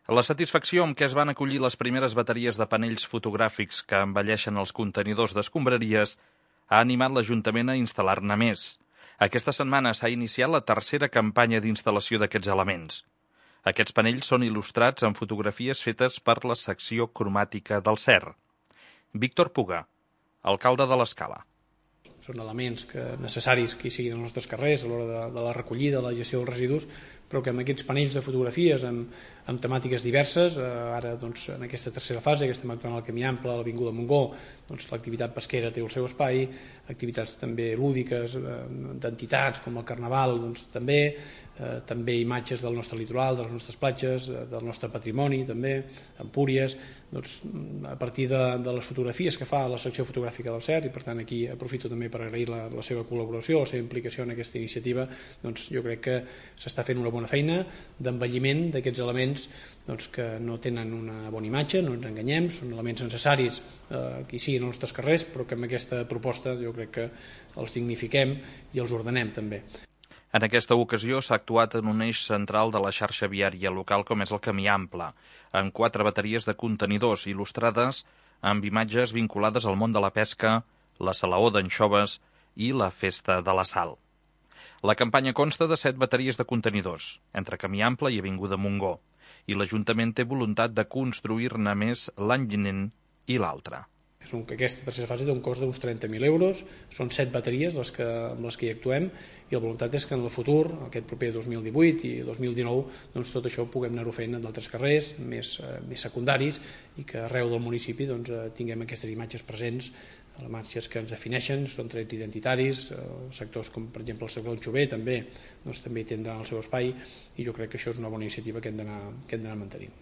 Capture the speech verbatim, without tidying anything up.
La satisfacció amb què es van acollir les primeres bateries de panells fotogràfics que embelleixen els contenidors d'escombraries ha animat l'Ajuntament a instal·lar-ne més. Aquesta setmana s'ha iniciat la tercera campanya d'instal·lació d'aquests elements. Aquests panells són il·lustrats amb fotografies fetes per la secció cromàtica del C E R. Víctor Puga, alcalde de l'Escala. Són elements que necessaris que hi siguin als nostres carrers a l'hora de, de la recollida, de la gestió dels residus, però que amb aquests panells de fotografies amb, amb temàtiques diverses, eh, ara doncs, en aquesta tercera fase que estem actuant al Camí Ample, a l'Avinguda Montgó, doncs, l'activitat pesquera té el seu espai, activitats també lúdiques eh, d'entitats com el Carnaval doncs, també, eh, també imatges del nostre litoral, de les nostres platges, eh, del nostre patrimoni també, Empúries, doncs, a partir de, de les fotografies que fa la secció fotogràfica del C E R, i per tant aquí aprofito també per agrair la, la seva col·laboració, la seva implicació en aquesta iniciativa, doncs jo crec que s'està fent una bona feina d'embelliment d'aquests elements doncs, que no tenen una bona imatge, no ens enganyem, són elements necessaris eh, que hi siguin als nostres carrers, però que amb aquesta proposta jo crec que els dignifiquem i els ordenem també. En aquesta ocasió s'ha actuat en un eix central de la xarxa viària local com és el Camí Ample, amb quatre bateries de contenidors il·lustrades amb imatges vinculades al món de la pesca, la salaó d'anxoves i la festa de la sal. La campanya consta de set bateries de contenidors, entre Camí Ample i Avinguda Montgó, i l'Ajuntament té voluntat de construir-ne més l'any vinent i l'altre. És un, que aquesta tercera fase té un cost d'uns trenta mil euros, són set bateries les que, amb les que hi actuem, i la voluntat és que en el futur, aquest proper dos mil divuit i dos mil dinou, doncs tot això puguem anar-ho fent en d'altres carrers, més, eh, més secundaris, i que arreu del municipi doncs, eh, tinguem aquestes imatges presents, les marxes que ens defineixen, són trets identitaris, eh, sectors com per exemple el sector d'Anxover també, doncs, també hi tindran el seu espai, i jo crec que això és una bona iniciativa que hem d'anar mantenint.